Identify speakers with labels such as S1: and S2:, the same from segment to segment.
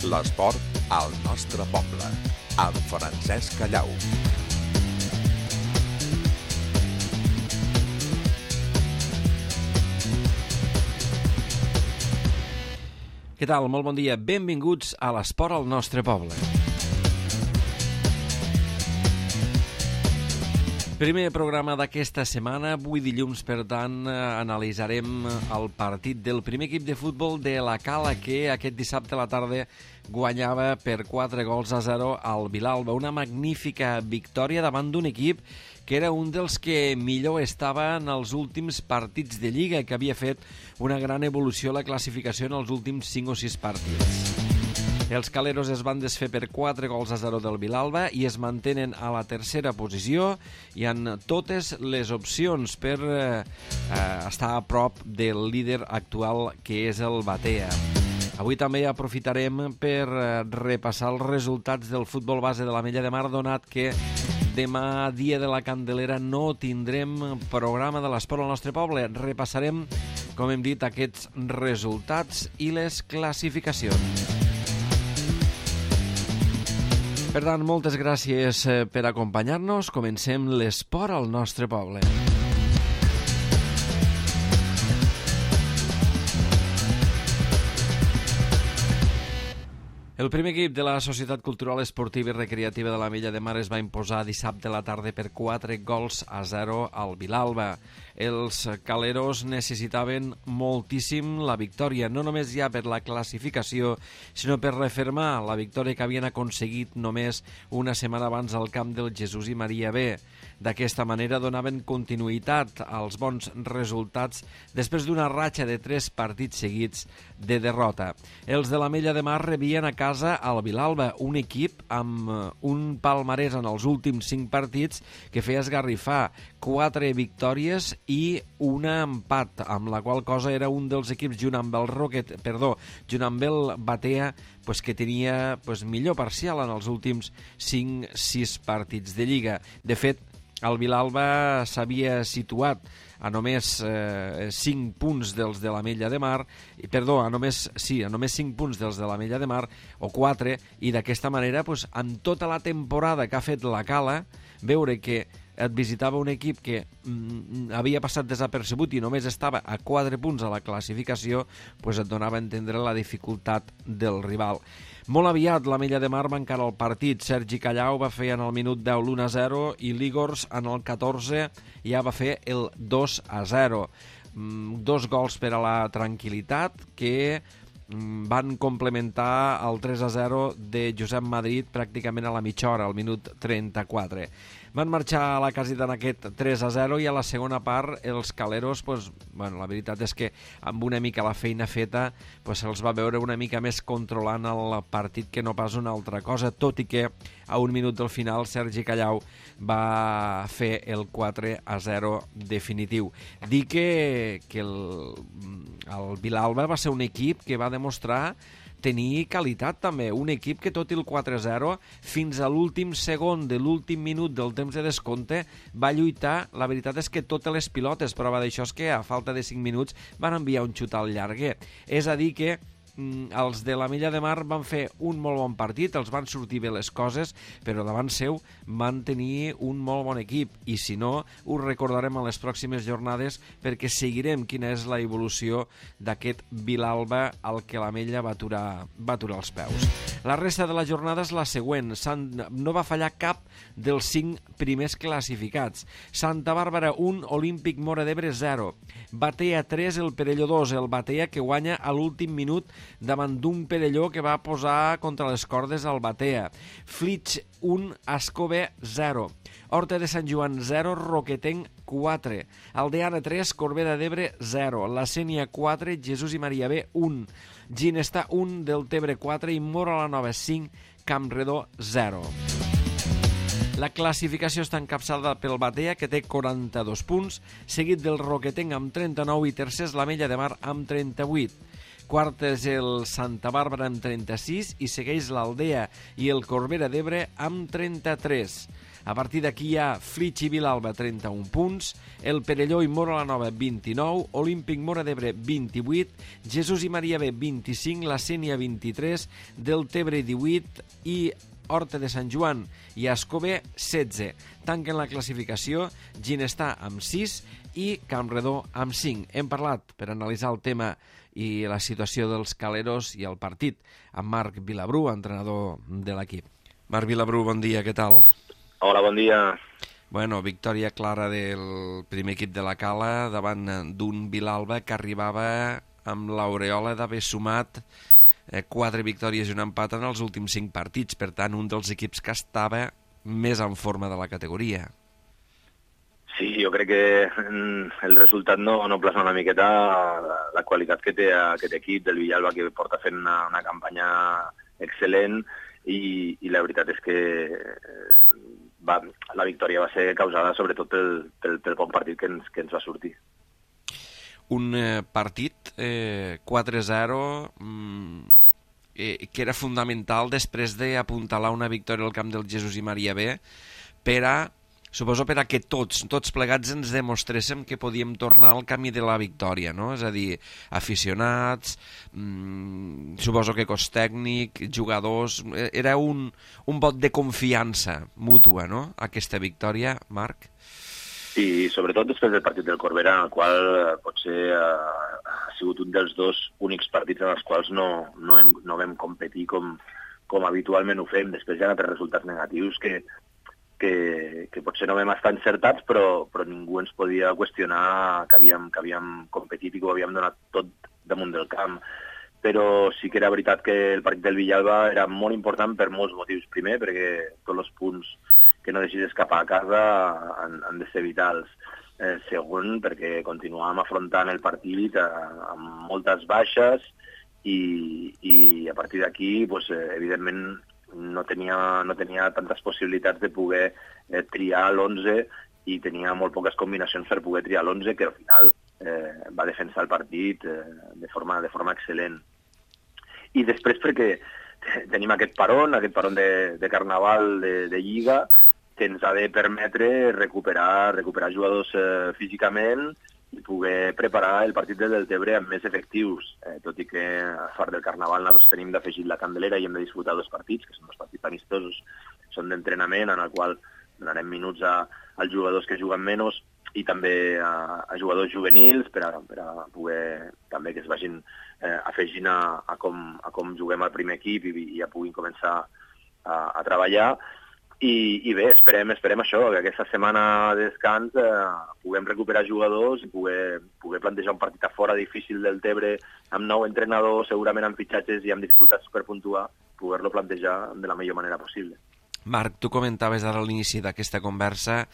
S1: L'esport al nostre poble, amb Francesc Callau.
S2: Què tal? Molt bon dia. Benvinguts a l'esport al nostre poble. Primer programa d'aquesta setmana. Avui dilluns, per tant, analitzarem el partit del primer equip de futbol de la Cala, que aquest dissabte a la tarda guanyava per 4-0 al Vilalba. Una magnífica victòria davant d'un equip que era un dels que millor estava en els últims partits de Lliga, que havia fet una gran evolució a la classificació en els últims 5 o 6 partits. Els caleros es van desfer per 4-0 del Vilalba i es mantenen a la tercera posició i han totes les opcions per estar a prop del líder actual, que és el Batea. Avui també aprofitarem per repassar els resultats del futbol base de l'Ametlla de Mar, donat que demà, dia de la Candelera, no tindrem programa de l'esport al nostre poble. Repassarem, com hem dit, aquests resultats i les classificacions. Per tant, moltes gràcies per acompanyar-nos. Comencem l'esport al nostre poble. El primer equip de la Societat Cultural Esportiva i Recreativa de l'Ametlla de Mar es va imposar dissabte a la tarda per 4-0 al Vilalba. Els caleros necessitaven moltíssim la victòria, no només ja per la classificació, sinó per refermar la victòria que havien aconseguit només una setmana abans al camp del Jesús i Maria B. D'aquesta manera donaven continuïtat als bons resultats després d'una ratxa de 3 partits seguits de derrota. Els de l'Ametlla de Mar rebien a casa al Vilalba, un equip amb un palmarès en els últims 5 partits que feia esgarrifar, 4 victòries i un empat, amb la qual cosa era un dels equips, junt amb el Batea, que tenia millor parcial en els últims 5-6 partits de Lliga. De fet, el Vilalba s'havia situat a només 5 punts dels de l'Ametlla de Mar, a només 5 punts dels de l'Ametlla de Mar, o 4, i d'aquesta manera, amb tota la temporada que ha fet la Cala, veure que et visitava un equip que havia passat desapercebut i només estava a 4 punts a la classificació, et donava a entendre la dificultat del rival. Molt aviat l'Ametlla de Mar va encarar el partit. Sergi Callau va fer en el minut 10 l'1-0 i l'Igors en el 14 ja va fer el 2-0. 2 gols per a la tranquil·litat que van complementar el 3-0 de Josep Madrid pràcticament a la mitja hora, al minut 34. Van marxar a la caseta en aquest 3-0 i a la segona part els caleros, la veritat és que amb una mica la feina feta se'ls va veure una mica més controlant el partit que no pas una altra cosa, tot i que a un minut del final Sergi Callau va fer el 4-0 definitiu. Dir que el Vilalba va ser un equip que va demostrar tenir qualitat també, un equip que tot i el 4-0 fins a l'últim segon de l'últim minut del temps de descompte va lluitar. La veritat és que totes les pilotes, prova d'això és que a falta de 5 minuts van enviar un xut al llarguer. És a dir que els de l'Ametlla de Mar van fer un molt bon partit, els van sortir bé les coses, però davant seu van tenir un molt bon equip, i si no, ho recordarem en les pròximes jornades perquè seguirem quina és la evolució d'aquest Vilalba al que l'Ametlla va aturar els peus. La resta de la jornada és la següent. No va fallar cap dels 5 primers classificats. Santa Bàrbara 1, Olímpic Móra d'Ebre 0. Batea 3, el Perelló 2. El Batea que guanya a l'últim minut davant d'un Perelló que va posar contra les cordes al Batea. Flix 1, Ascobé 0. Horta de Sant Joan 0, Roquetenc 4. Aldeana 3, Corbera d'Ebre 0. La Sénia 4, Jesús i Maria B 1. Ginestar 1, Deltebre 4 i Móra la Nova 5, Campredó 0. La classificació està encapçalada pel Batea, que té 42 punts, seguit del Roquetenc amb 39 i tercers l'Ametlla de Mar amb 38. Quart és el Santa Bàrbara amb 36 i segueix l'Aldea i el Corbera d'Ebre amb 33. A partir d'aquí hi ha Flix i Vilalba 31 punts, el Perelló i Móra la Nova 29, Olímpic Móra d'Ebre 28, Jesús i Maria B 25, la Sénia 23, Deltebre 18 i Horta de Sant Joan i Escober 16. Tanquen la classificació Ginestar amb 6 i Campredó amb 5. Hem parlat, per analitzar el tema i la situació dels Caleros i el partit, amb Marc Vilabrú, entrenador de l'equip. Marc Vilabrú, bon dia, què tal?
S3: Hola, bon dia.
S2: Bueno, victòria clara del primer equip de la Cala davant d'un Vilalba que arribava amb l'aureola d'haver sumat 4 victòries i un empat en els últims 5 partits. Per tant, un dels equips que estava més en forma de la categoria.
S3: Sí, jo crec que el resultat no plasma una miqueta la qualitat que té aquest equip del Villalba, que porta fent una campanya excel·lent i la veritat és que la victòria va ser causada sobretot pel bon partit que ens va sortir.
S2: Un partit 4-0 que era fundamental després d'apuntalar una victòria al camp del Jesús i Maria B suposo per a que tots plegats ens demostréssim que podíem tornar al camí de la victòria, no? És a dir, aficionats, suposo que cos tècnic, jugadors... Era un vot de confiança mútua, no?, aquesta victòria, Marc?
S3: Sí, sobretot després del partit del Corbera, en el qual potser ha sigut un dels dos únics partits en els quals no vam competir com habitualment ho fem. Després hi ha altres resultats negatius que potser no vam estar encertats, però ningú ens podia qüestionar que havíem competit i que ho havíem donat tot damunt del camp. Però sí que era veritat que el partit del Villalba era molt important per molts motius. Primer, perquè tots els punts que no deixis escapar a casa han de ser vitals. Segon, perquè continuàvem afrontant el partit amb moltes baixes i a partir d'aquí, evidentment, no tenia tantes possibilitats de poder triar l'11 i tenia molt poques combinacions per poder triar l'11, que al final va defensar el partit de forma excel·lent. I després perquè tenim aquest paron de Carnaval de Lliga, que ens ha de permetre recuperar jugadors físicament i poder preparar el partit del Deltebre amb més efectius, tot i que a part del Carnaval nosaltres tenim d'afegir la Candelera i hem de disputar 2 partits, que són 2 partits amistosos, són d'entrenament, en el qual donarem minuts als jugadors que juguen menys i també a jugadors juvenils per a poder també que es vagin afegint a com juguem al primer equip i ja puguin començar a treballar. I bé, esperem això, que aquesta setmana de descans puguem recuperar jugadors i poder plantejar un partit a fora difícil del Tebre amb nou entrenadors, segurament amb fitxatges i amb dificultats per puntuar, poder-lo plantejar de la millor manera possible.
S2: Marc, tu comentaves ara a l'inici d'aquesta conversa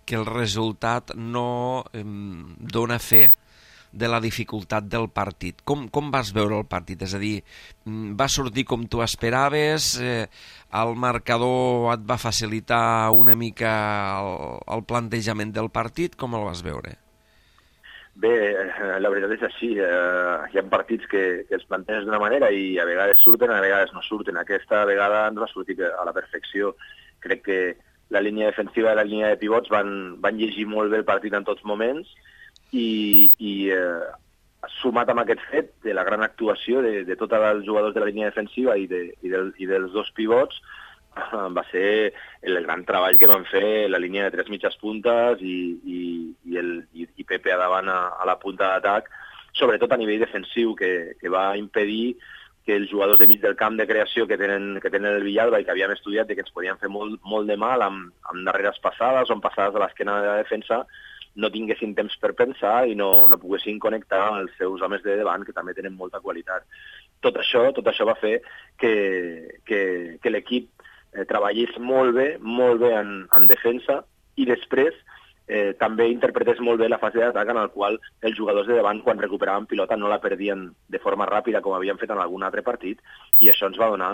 S2: que el resultat no dona fe de la dificultat del partit. Com vas veure el partit? És a dir, va sortir com tu esperaves? El marcador et va facilitar una mica el plantejament del partit? Com el vas veure?
S3: Bé, la veritat és així. Hi ha partits que els planteges d'una manera i a vegades surten, a vegades no surten. Aquesta vegada ens va sortir a la perfecció. Crec que la línia defensiva i la línia de pivots van llegir molt bé el partit en tots moments i sumat amb aquest fet de la gran actuació de tots els jugadors de la línia defensiva i dels 2 pivots, va ser el gran treball que van fer la línia de 3 mitges puntes i Pepe a davant a la punta d'atac, sobretot a nivell defensiu, que va impedir que els jugadors de mig del camp de creació que tenen el Villalba i que havíem estudiat i que ens podien fer molt de mal amb darreres passades o amb passades a l'esquena de la defensa, no tinguessin temps per pensar i no poguessin connectar amb els seus homes de davant, que també tenen molta qualitat. Tot això va fer que l'equip treballés molt bé en defensa i després també interpretés molt bé la fase d'atac en el qual els jugadors de davant, quan recuperaven pilota, no la perdien de forma ràpida com havien fet en algun altre partit, i això ens va donar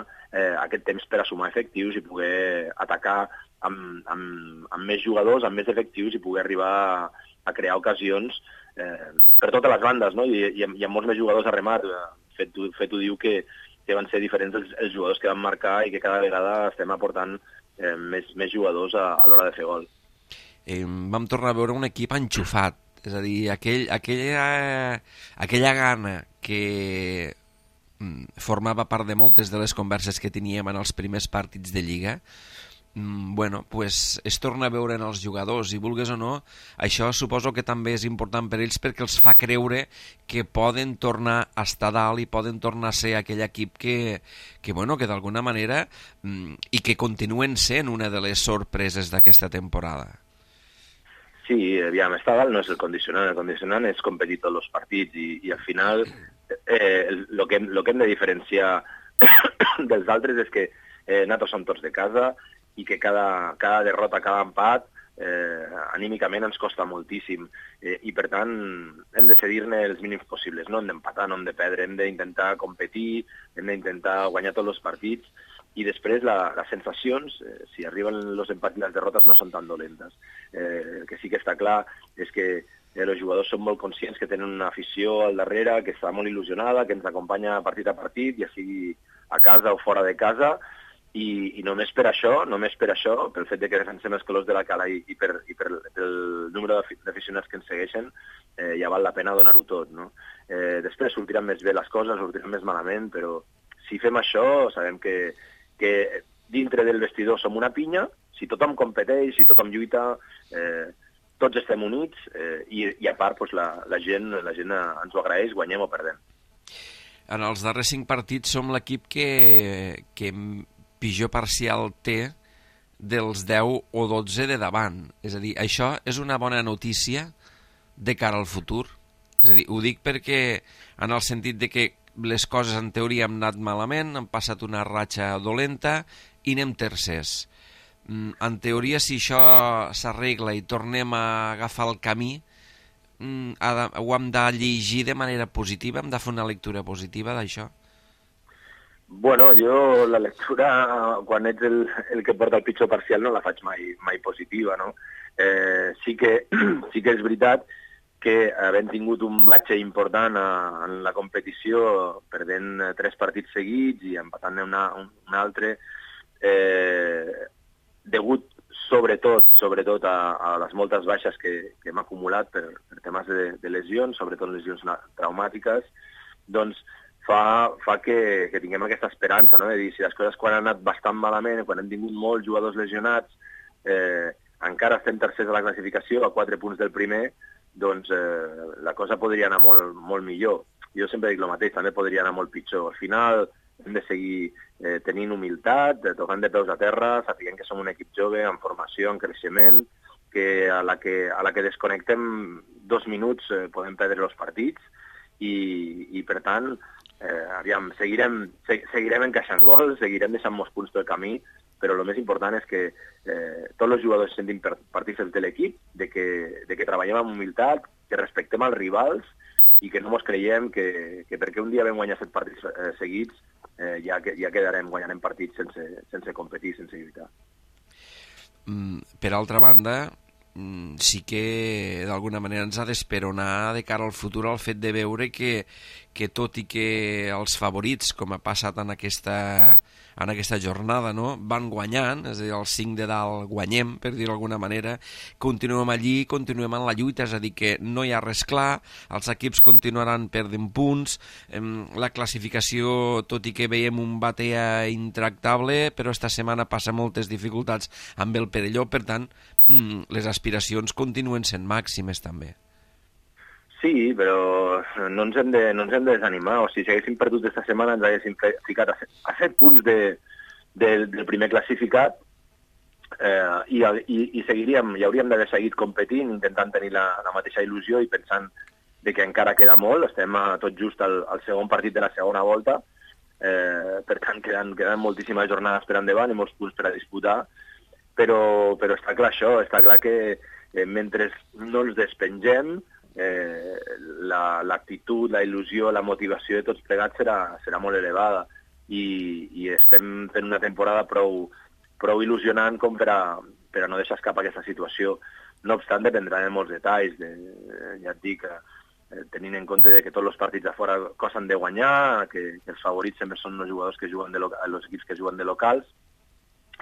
S3: aquest temps per a sumar efectius i poder atacar amb més jugadors, amb més efectius i poder arribar a crear ocasions per totes les bandes, no? I amb molts més jugadors a remat. Fet ho diu que van ser diferents els jugadors que van marcar i que cada vegada estem aportant més jugadors a l'hora de fer gol.
S2: Vam tornar a veure un equip enxufat, és a dir, aquella gana que formava part de moltes de les converses que teníem en els primers partits de Lliga, bueno, pues es torna a veure en els jugadors i vulgues o no, això suposo que també és important per ells perquè els fa creure que poden tornar a estar dalt i poden tornar a ser aquell equip que d'alguna manera i que continuen sent una de les sorpreses d'aquesta temporada.
S3: Sí, aviam, estar dalt no és el condicionant és competir tots els partits i al final el que hem de diferenciar dels altres és que nosaltres som tots de casa i que cada derrota, cada empat, anímicament ens costa moltíssim. I, per tant, hem de cedir-ne els mínims possibles. No hem d'empatar, no hem de perdre, hem d'intentar competir, hem d'intentar guanyar tots els partits i després les sensacions, si arriben els empats i les derrotes, no són tan dolentes. El que sí que està clar és que els jugadors són molt conscients que tenen una afició al darrere, que està molt il·lusionada, que ens acompanya partit a partit, ja sigui a casa o fora de casa, i només per això, pel fet de que defensem els colors de la cala i pel número d'aficionats que ens segueixen, ja val la pena donar-ho tot, no? Després sortiran més bé les coses, sortiran més malament, però si fem això sabem que dintre del vestidor som una pinya, si tothom competeix, si tothom lluita, tots estem units i a part pues, la gent ens ho agraeix, guanyem o perdem.
S2: En els darrers 5 partits som l'equip que pitjor parcial té dels 10 o 12 de davant. És a dir, això és una bona notícia de cara al futur. És a dir, ho dic perquè en el sentit de que les coses en teoria han anat malament, han passat una ratxa dolenta i anem tercers. En teoria, si això s'arregla i tornem a agafar el camí, ho hem de llegir de manera positiva, hem de fer una lectura positiva d'això.
S3: Bueno, jo la lectura, quan ets el que porta el pitjor parcial, no la faig mai positiva, no? Sí que és veritat que havent tingut un batxe important en la competició, perdent 3 partits seguits i empatant un altre, degut sobretot a les moltes baixes que hem acumulat per temes de lesions, sobretot lesions traumàtiques, doncs fa que tinguem aquesta esperança, no? De dir, si les coses quan han anat bastant malament, quan hem tingut molts jugadors lesionats, encara estem tercers a la classificació, a 4 punts del primer, doncs la cosa podria anar molt millor. Jo sempre dic el mateix, també podria anar molt pitjor. Al final hem de seguir tenint humilitat, tocant de peus a terra, sapiguem que som un equip jove, en formació, en creixement, que a la que desconnectem 2 minuts podem perdre els partits i per tant, seguirem encaixant gols, seguirem deixant molts punts pel camí, però el més important és que tots els jugadors se sentin partícips de l'equip, de que treballem amb humilitat, que respectem els rivals i que no ens creiem que perquè un dia vam guanyar 7 partits seguits ja guanyarem partits sense competir, sense lluitar.
S2: Per altra banda, sí que d'alguna manera ens ha d'esperonar de cara al futur el fet de veure que tot i que els favorits, com ha passat en aquesta jornada, no, van guanyant, és a dir, els 5 de dalt guanyem, per dir-ho d'alguna manera, continuem allí, continuem en la lluita, és a dir, que no hi ha res clar, els equips continuaran perdent punts, la classificació, tot i que veiem un batea intractable, però esta setmana passa moltes dificultats amb el Perelló, per tant, les aspiracions continuen sent màximes també.
S3: Sí, però no ens hem de desanimar. O sigui, si haguéssim perdut aquesta setmana ens haguéssim ficat a 7 punts del primer classificat i seguiríem, i hauríem d'haver seguit competint, intentant tenir la mateixa il·lusió i pensant de que encara queda molt. Estem tot just al segon partit de la segona volta, per tant queden moltíssimes jornades per endavant i molts punts per a disputar, però està clar això, està clar que mentre no ens despengem, l'actitud, la il·lusió, la motivació de tots plegats serà molt elevada i estem fent una temporada prou il·lusionant com per a no deixar escapar aquesta situació. No obstant, dependrà de molts detalls, ja et dic, tenint en compte que tots els partits de fora costen de guanyar, que els favorits sempre són els jugadors que juguen els equips que juguen de locals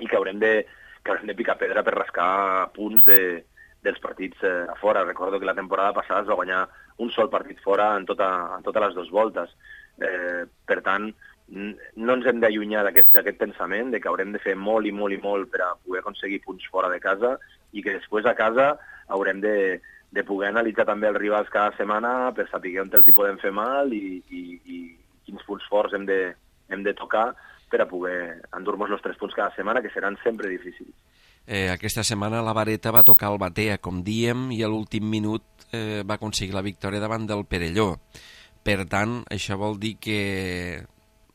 S3: i que haurem de haurem de picar pedra per rascar punts dels partits a fora. Recordo que la temporada passada es va guanyar un sol partit fora en totes les 2 voltes. Per tant, no ens hem d'allunyar d'aquest pensament de que haurem de fer molt i molt i molt per a poder aconseguir punts fora de casa i que després a casa haurem de poder analitzar també els rivals cada setmana per saber on els hi podem fer mal i quins punts forts hem de tocar per a poder endur-nos els 3 punts cada setmana, que seran sempre difícils.
S2: Aquesta setmana la vareta va tocar el Batea, com diem, i a l'últim minut va aconseguir la victòria davant del Perelló. Per tant, això vol dir que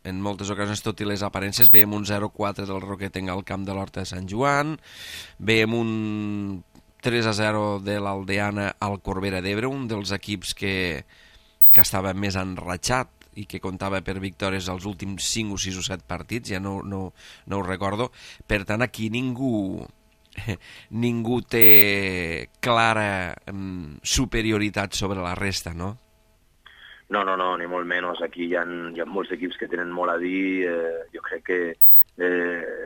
S2: en moltes ocasions, tot i les aparences, veiem un 0-4 del Roquetenc al camp de l'Horta de Sant Joan, veiem un 3-0 de l'Aldeana al Corbera d'Ebre, un dels equips que estava més enratxat i que comptava per victòries als últims 5 o 6 o 7 partits, ja no ho recordo. Per tant, aquí ningú té clara superioritat sobre la resta, no?
S3: No, ni molt menys. Aquí hi ha molts equips que tenen molt a dir. Jo crec que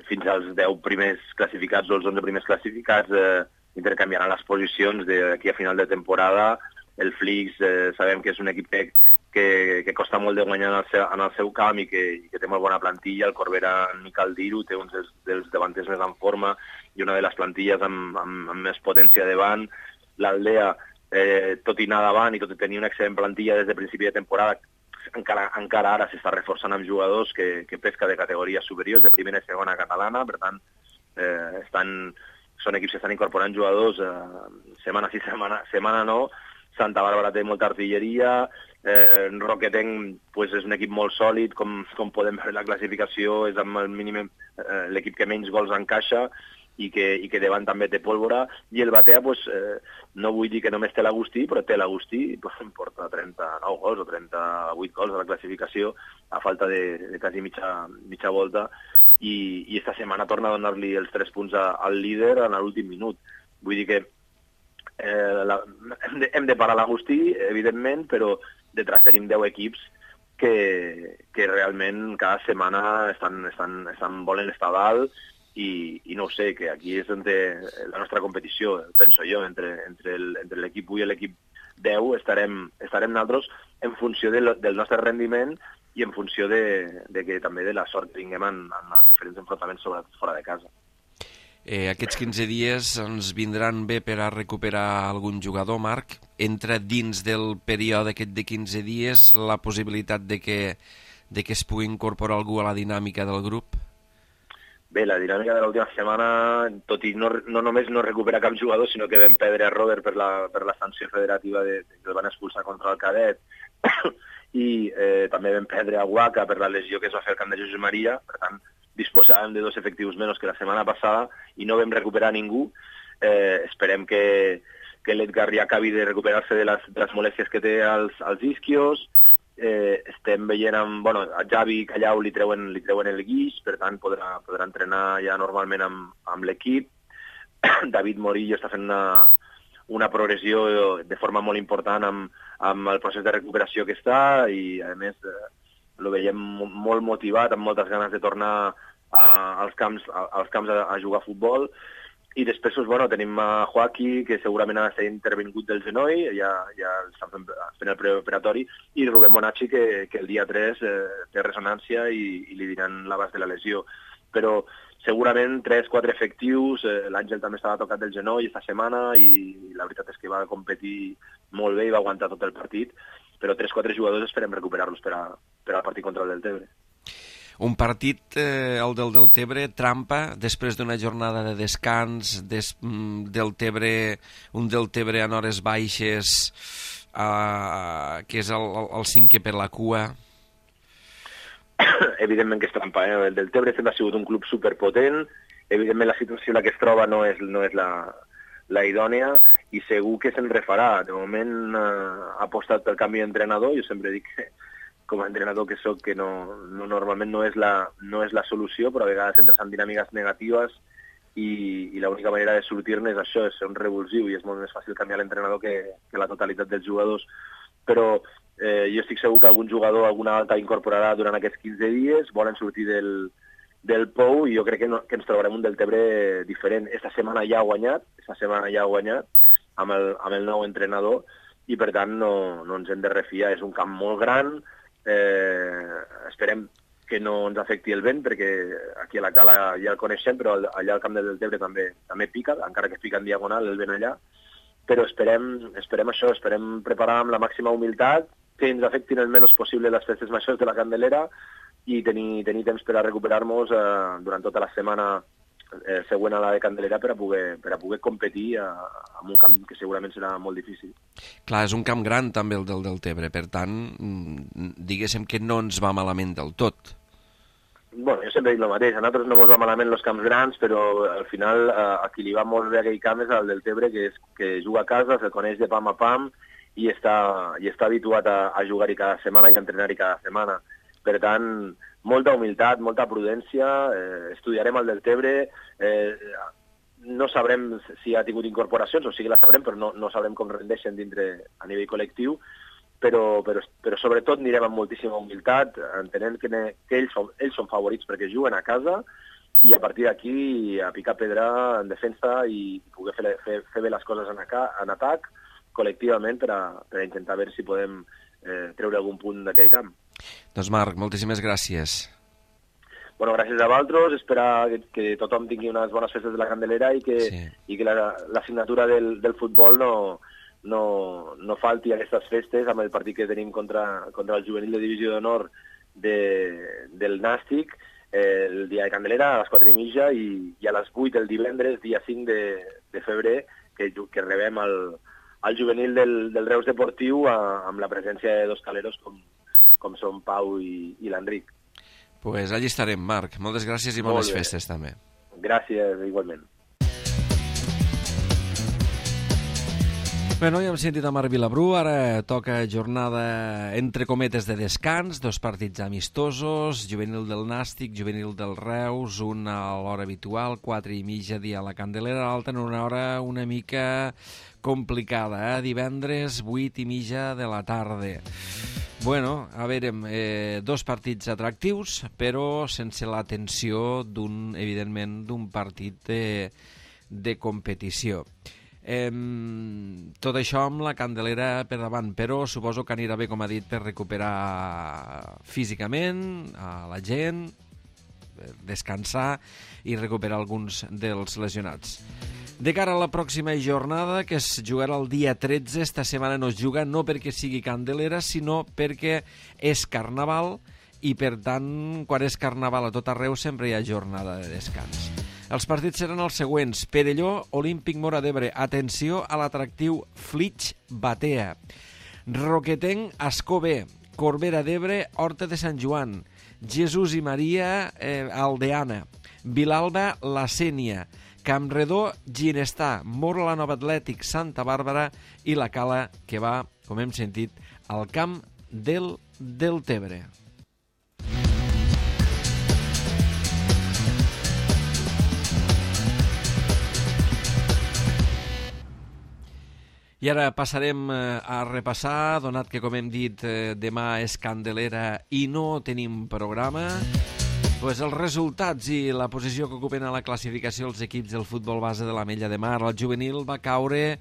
S3: fins als 10 primers classificats o els 11 primers classificats intercanviaran les posicions d'aquí a final de temporada. El Flix sabem que és un equip que costa molt de guanyar en el seu camp i que té molt bona plantilla. El Corbera, ni cal dir-ho, té uns dels davanters més en forma i una de les plantilles amb més potència davant. L'Aldea, tot i anar davant i tot i tenir una excel·lent plantilla des de principi de temporada, encara ara s'està reforçant amb jugadors que pesca de categories superiors, de primera i segona catalana. Per tant, són equips que estan incorporant jugadors setmana sí, setmana no. Santa Bàrbara té molta artilleria, Roquetenc és un equip molt sòlid, com podem veure la classificació, és amb el mínim l'equip que menys gols encaixa i que davant també té pólvora, i el Batea, no vull dir que només té l'Agustí, però té l'Agustí, porta 39 gols o 38 gols a la classificació, a falta de quasi mitja volta, i esta setmana torna a donar-li els 3 punts al líder en l'últim minut. Vull dir que hem de parar l'Agustí, evidentment, però detrás tenim 10 equips que realment cada setmana volen estar dalt, i no ho sé, que aquí és on té la nostra competició, penso jo, entre l'equip 1 i l'equip 10 estarem nosaltres en funció del nostre rendiment i en funció que també de la sort que tinguem en els diferents enfrontaments, sobretot fora de casa.
S2: Aquests 15 dies ens vindran bé per a recuperar algun jugador, Marc. Entra dins del període aquest de 15 dies la possibilitat de que es pugui incorporar algú a la dinàmica del grup?
S3: Bé, la dinàmica de l'última setmana, tot i no només no recupera cap jugador, sinó que vam perdre a Robert per la sanció federativa que el van expulsar contra el cadet, i també vam perdre a Huaca per la lesió que es va fer al camp de Josep Maria. Per tant, disposàvem de 2 efectius menys que la setmana passada i no vam recuperar ningú. Esperem que l'Edgar ja acabi de recuperar-se de les molèsties que té als isquios. Estem veient a Javi Callau li treuen el guix, per tant podrà entrenar ja normalment amb l'equip. David Morillo està fent una progressió de forma molt important amb el procés de recuperació que està, i a més el veiem molt motivat, amb moltes ganes de tornar als camps a jugar a futbol. I després tenim a Joaquí, que segurament ha estat intervingut del genoll, ja està fent el preoperatori, i Rubén Bonacci, que el dia 3 té ressonància i li diran l'abast de la lesió. Però segurament 3-4 efectius, l'Àngel també estava tocat del genoll esta setmana i la veritat és que va competir molt bé i va aguantar tot el partit, però 3-4 jugadors esperem recuperar-los per al partit contra el Deltebre.
S2: Un partit, el del Deltebre, trampa, després d'una jornada de descans, un Deltebre en hores baixes, que és el 5è per la cua.
S3: Evidentment que és trampa, El Deltebre sempre ha sigut un club superpotent, evidentment la situació en la que es troba no és la idònia, i segur que se'n refarà. De moment ha apostat pel canvi d'entrenador. Jo sempre dic que com a entrenador que soc, que normalment no és la solució, però a vegades entres en dinàmiques negatives i l'única manera de sortir-ne és això, és ser un revulsiu, i és molt més fàcil canviar l'entrenador que la totalitat dels jugadors. Però jo estic segur que algun jugador alguna alta incorporarà durant aquests 15 dies, volen sortir del Pou, i jo crec que ens trobarem un Deltebre diferent. Esta setmana ja ha guanyat amb el nou entrenador, i per tant no ens hem de refiar. És un camp molt gran, esperem que no ens afecti el vent, perquè aquí a la cala ja el coneixem, però allà al camp del Deltebre també pica, encara que pica en diagonal el vent allà, però esperem això, esperem preparar amb la màxima humilitat, que ens afectin el menys possible les festes majors de la Candelera i tenir temps per a recuperar-nos durant tota la setmana següent a la de Candelera per a poder competir en un camp que segurament serà molt difícil.
S2: Clar, és un camp gran també el del Deltebre, per tant, diguéssim que no ens va malament del tot.
S3: Bueno, jo sempre dic el mateix, a nosaltres no ens va malament els camps grans, però al final a qui li va molt bé aquell camp és el Deltebre, que juga a casa, se coneix de pam a pam i està habituat a jugar-hi cada setmana i a entrenar-hi cada setmana. Per tant, molta humilitat, molta prudència, estudiarem el Deltebre, no sabrem si ha tingut incorporacions, o sigui la sabrem, però no sabrem com rendeixen dintre a nivell col·lectiu, però sobretot anirem amb moltíssima humilitat, entenent que ells són favorits perquè juguen a casa, i a partir d'aquí a picar pedra en defensa i poder fer bé les coses en atac col·lectivament per a intentar veure si podem treure algun punt d'aquell camp.
S2: Doncs Marc, moltíssimes gràcies.
S3: Bueno, gràcies a vosaltres, esperar que tothom tingui unes bones festes de la Candelera i que la signatura del futbol no falti a aquestes festes amb el partit que tenim contra el juvenil de divisió d'honor del Nàstic el dia de Candelera a les 4:30 i a les 8 el divendres, dia 5 de febrer, que rebem el juvenil del Reus Deportiu amb la presència de dos caleros com són Pau i l'Enric.
S2: Pues allí estarem, Marc. Moltes gràcies i bones festes també.
S3: Gràcies, igualment.
S2: Bé, ja hem sentit a Marc Vilabrú, ara toca jornada entre cometes de descans, 2 partits amistosos, juvenil del Nàstic, juvenil del Reus, un a l'hora habitual, 4:30 dia a la Candelera, l'altra en una hora una mica complicada, divendres 8:30 de la tarda. Bueno, a veure, 2 partits atractius, però sense la tensió evidentment, d'un partit de competició. Tot això amb la Candelera per davant, però suposo que anirà bé, com ha dit, per recuperar físicament a la gent, descansar i recuperar alguns dels lesionats. De cara a la pròxima jornada, que es jugarà el dia 13, esta setmana no es juga, no perquè sigui Candelera, sinó perquè és Carnaval, i per tant, quan és Carnaval a tot arreu sempre hi ha jornada de descans. Els partits seran els següents: Perelló, Olímpic Móra d'Ebre. Atenció a l'atractiu Flix Batea. Roquetenc, Ascó B. Corbera d'Ebre, Horta de Sant Joan. Jesús i Maria, Aldeana. Vilalba, La Sénia. Campredó, Ginestà. Mora la Nova Atlètic, Santa Bàrbara, i la Cala, que va, com hem sentit, al camp del Deltebre. I ara passarem a repassar, donat que, com hem dit, demà és Candelera i no tenim programa, doncs els resultats i la posició que ocupen a la classificació els equips del futbol base de l'Ametlla de Mar. El juvenil va caure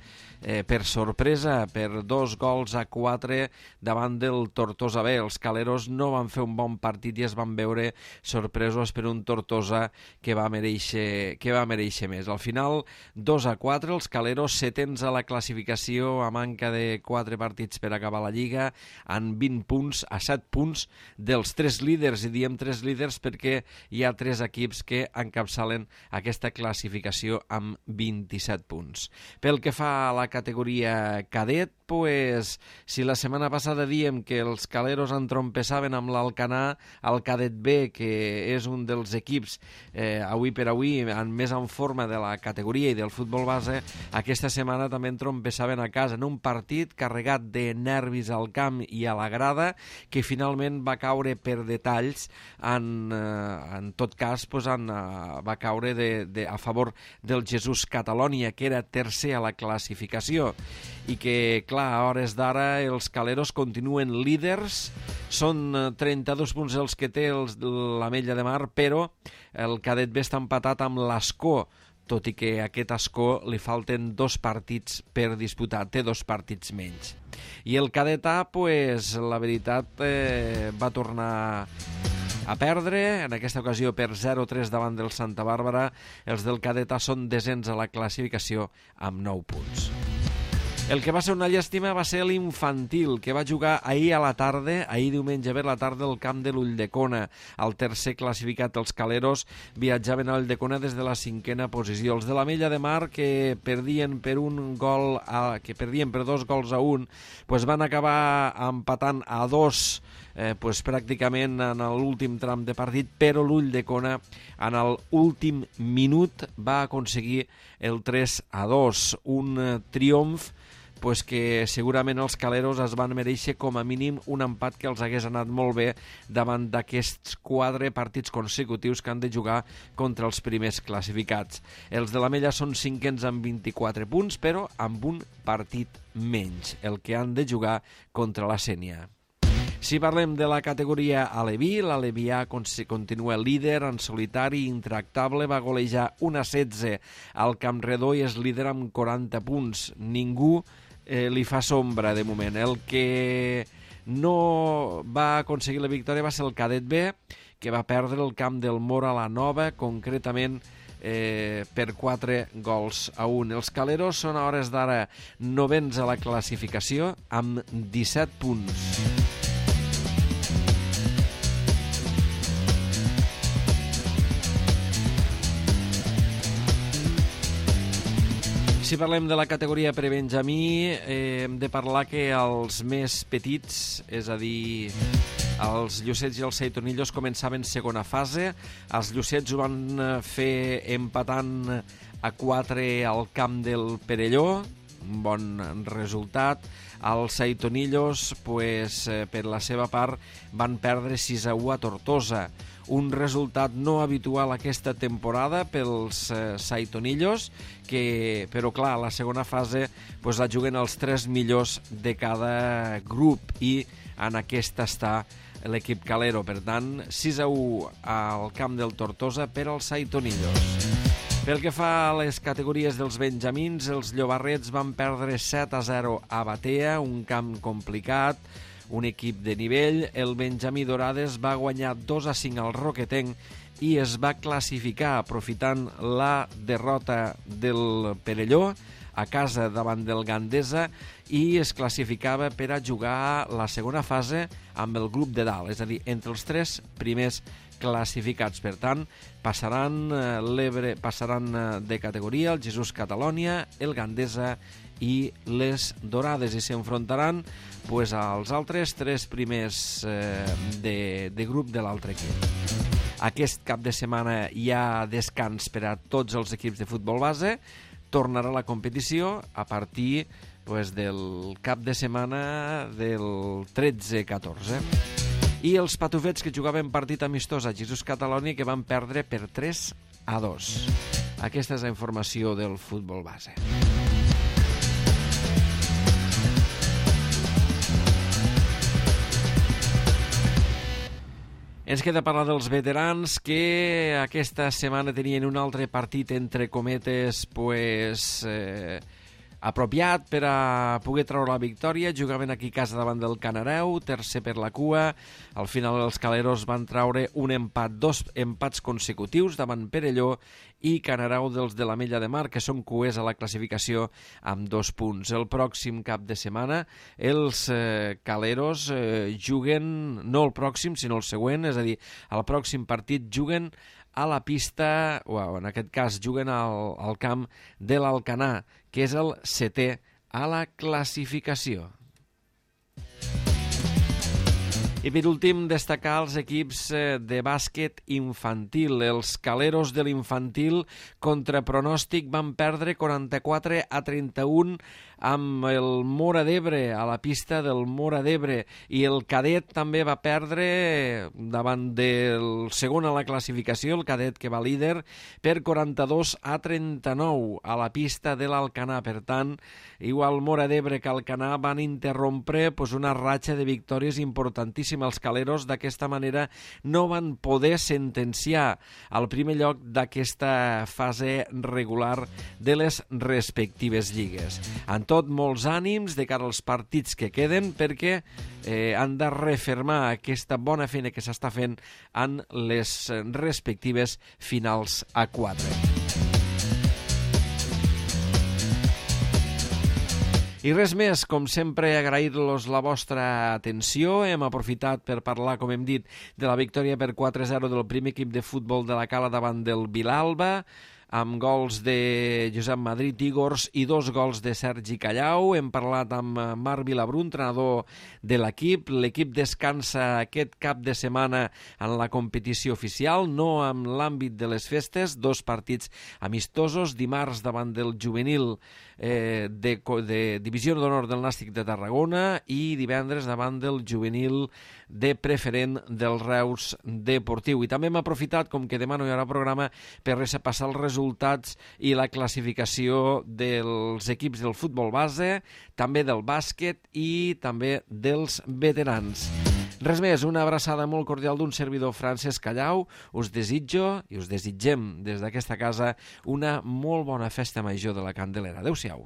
S2: per sorpresa, per 2-4 davant del Tortosa B. Els caleros no van fer un bon partit i es van veure sorpresos per un Tortosa que va mereixer més. Al final, 2-4, els caleros setens a la classificació a manca de 4 partits per acabar la Lliga, en 20 punts, a 7 punts dels 3 líders, i diem 3 líders perquè hi ha 3 equips que encapçalen aquesta classificació amb 27 punts. Pel que fa a la categoria cadet, pues, si la setmana passada diem que els caleros entrompessaven amb l'Alcanar, el cadet B, que és un dels equips avui per avui més en forma de la categoria i del futbol base, aquesta setmana també entrompessaven a casa en un partit carregat de nervis al camp i a la grada, que finalment va caure per detalls, en tot cas pues, va caure a favor del Jesús Catalònia, que era tercer a la classificació. i que, clar, a hores d'ara els Caleros continuen líders, són 32 punts els que té l'Ametlla de Mar, però el Cadet B està empatat amb l'Ascó, tot i que a aquest Ascó li falten 2 partits per disputar, té 2 partits menys. I el Cadet A, pues, la veritat, va tornar a perdre, en aquesta ocasió per 0-3 davant del Santa Bàrbara. Els del Cadet A són desens a la classificació amb 9 punts. El que va ser una llàstima va ser l'Infantil, que va jugar ahir a la tarda, ahir diumenge a la tarda, al camp de l'Ulldecona. El tercer classificat, els Caleros, viatjaven a l'Ulldecona des de la 5a posició. Els de l'Ametlla de Mar, que perdien per 2 gols a 1, pues van acabar empatant a 2, pues pràcticament en l'últim tram de partit, però l'Ulldecona en l'últim minut va aconseguir el 3-2, un triomf pues que segurament els Caleros es van mereixer com a mínim un empat que els hagués anat molt bé davant d'aquests 4 partits consecutius que han de jugar contra els primers classificats. Els de l'Ametlla són 5ens amb 24 punts, però amb un partit menys, el que han de jugar contra la Sénia. Si parlem de la categoria Aleví, l'Aleví A continua líder en solitari, intractable, va golejar 1-16 al Campredó i és líder amb 40 punts. Ningú li fa sombra de moment. El que no va aconseguir la victòria va ser el Cadet B, que va perdre el camp del Mora a la Nova, concretament per 4 gols a 1. Els Caleros són a hores d'ara 9ens a la classificació amb 17 punts. Si parlem de la categoria prebenjamí, hem de parlar que els més petits, és a dir, els Llucets i els Seitonillos, començaven segona fase. Els Llucets ho van fer empatant a 4 al camp del Perelló, un bon resultat. Els Seitonillos, pues, per la seva part, van perdre 6-1 a Tortosa. Un resultat no habitual aquesta temporada pels Seitonillos, que, però clar, la segona fase pues, la juguen els 3 millors de cada grup i en aquesta està l'equip Calero. Per tant, 6-1 al camp del Tortosa per als Seitonillos. Pel que fa a les categories dels benjamins, els Llobarrets van perdre 7-0 a Batea, un camp complicat, un equip de nivell. El Benjamí Dorades va guanyar 2-5 al Roquetenc i es va classificar aprofitant la derrota del Perelló a casa davant del Gandesa i es classificava per a jugar la segona fase amb el grup de dalt, és a dir, entre els 3 primers classificats. Per tant, passaran de categoria el Jesús Catalònia, el Gandesa i les Dorades i s'enfrontaran pues, als altres 3 primers de grup de l'altre equip. Aquest cap de setmana hi ha descans per a tots els equips de futbol base. Tornarà la competició a partir pues, del cap de setmana del 13-14. I els patufets que jugaven partit amistós a Jesús Catalònia que van perdre per 3-2. Aquesta és la informació del futbol base. Ens queda parlar dels veterans que aquesta setmana tenien un altre partit entre cometes pues, apropiat per a poder treure la victòria. Jugaven aquí a casa davant del Canareu, tercer per la cua. Al final els Caleros van treure un empat, 2 empats consecutius davant Perelló i Canareu dels de l'Ametlla de Mar, que són cuers a la classificació amb 2 punts. El pròxim cap de setmana els Caleros juguen, no el pròxim, sinó el següent, és a dir, al pròxim partit juguen a la pista, o en aquest cas juguen al camp de l'Alcanar, que és el 7è a la classificació. I per últim, destacar els equips de bàsquet infantil. Els Caleros de l'infantil, contra pronòstic, van perdre 44-31 amb el Móra d'Ebre, a la pista del Móra d'Ebre, i el cadet també va perdre davant del segon a la classificació, el cadet que va líder, per 42-39 a la pista de l'Alcanar. Per tant, igual Móra d'Ebre que Alcanar van interrompre una ratxa de victòries importantíssima. Els caleros d'aquesta manera no van poder sentenciar al primer lloc d'aquesta fase regular de les respectives lligues. En tot, molts ànims de cara als partits que queden, perquè han de refermar aquesta bona feina que s'està fent en les respectives finals a 4. I res més, com sempre, agrair-los la vostra atenció. Hem aprofitat per parlar, com hem dit, de la victòria per 4-0 del primer equip de futbol de la Cala davant del Vilalba, amb gols de Josep Madrid Igors i 2 gols de Sergi Callau. Hem parlat amb Marc Vilabrú, entrenador de l'equip. L'equip descansa aquest cap de setmana en la competició oficial, no en l'àmbit de les festes. 2 partits amistosos, dimarts davant del juvenil de Divisió d'Honor del Nàstic de Tarragona i divendres davant del juvenil de preferent del Reus Deportiu. I també hem aprofitat, com que demà no hi haurà programa, per repassar els resultats i la classificació dels equips del futbol base, també del bàsquet i també dels veterans. Res més, una abraçada molt cordial d'un servidor, Francesc Callau. Us desitjo i us desitgem des d'aquesta casa una molt bona festa major de la Candelera. Adéu-siau.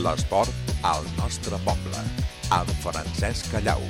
S1: L'esport al nostre poble, amb Francesc Callau.